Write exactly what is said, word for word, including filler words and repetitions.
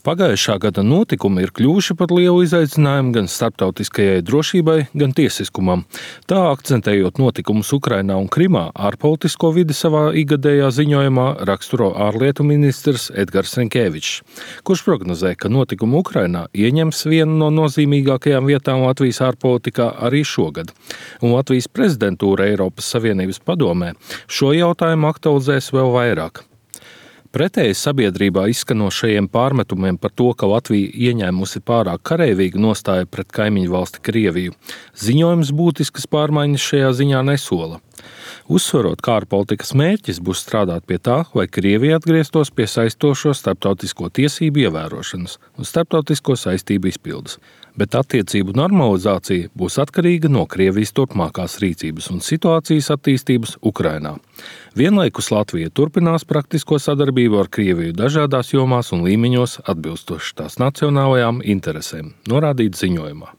Pagājušā gada notikumi ir kļuvuši par lielu izaicinājumu gan starptautiskajai drošībai, gan tiesiskumam. Tā akcentējot notikumus Ukrainā un Krimā, ārpolitisko vidi savā ikgadējā ziņojumā raksturo ārlietu ministrs Edgars Rinkēvičs, kurš prognozē, ka notikumi Ukrainā ieņems vienu no nozīmīgākajām vietām Latvijas ārpolitikā arī šogad. Un Latvijas prezidentūra Eiropas Savienības padomē šo jautājumu aktualizēs vēl vairāk. Pretēji sabiedrībā izskanošajiem pārmetumiem par to, ka Latvija ieņēmusi pārāk kareivīgu nostāju pret kaimiņu valsti Krieviju, ziņojums būtiskas pārmaiņas šajā ziņā nesola. Uzsverot, ka ārpolitikas mērķis būs strādāt pie tā, lai Krievija atgrieztos pie saistošo starptautisko tiesību ievērošanas un starptautisko saistību izpildes, bet attiecību normalizācija būs atkarīga no Krievijas turpmākās rīcības un situācijas attīstības Ukrainā. Vienlaikus Latvija turpinās praktisko sadarbību ar Krieviju dažādās jomās un līmeņos atbilstoši tās nacionālajām interesēm, norādīts ziņojumā.